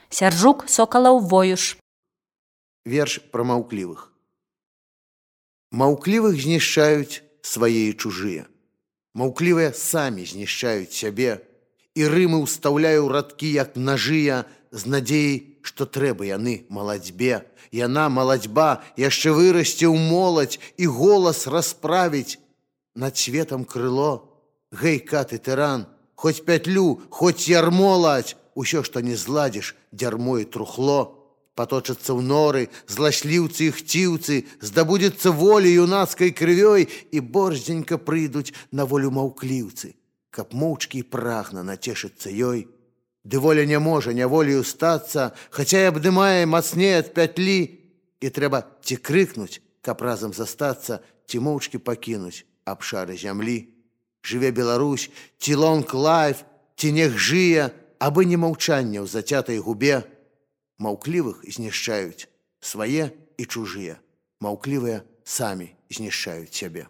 Сяржук Сокалаў Воюш. Верш пра маўклівых. Маўклівых знішчаюць свае і чужыя. Маўклівыя самі знішчаюць сябе, і рымы ўстаўляю радкі, як нажыя, з надзеяй, што трэба яны маладзьбе. Яна, маладзьба, яшчэ вырасце ў моладзь і голас расправіць над светам крыло. Гэй, каты, тыран, хоць пятлю, хоць ярмо ладзь, усё, што не зладзіш, дзярмо і трухло. Паточацца ў норы зласліўцы і хціўцы, здабудзецца волі юнацкай крывёй, і борздзенька прыйдуць на волю маўкліўцы, каб моўчкі і прагна нацешыцца ёй. Ды воля не можа няволею стацца, хаця і абдымае мацней ад пятлі, і трэба ці крыкнуць, каб разам застацца, ці моўчкі пакінуць абшары зямлі. Жыве Беларусь, ці лонг-лайф, ці нех жые, абы не маўчанне ў зацятай губе. Маўклівых знішчаюць свае і чужыя. Маўклівыя самі знішчаюць сябе.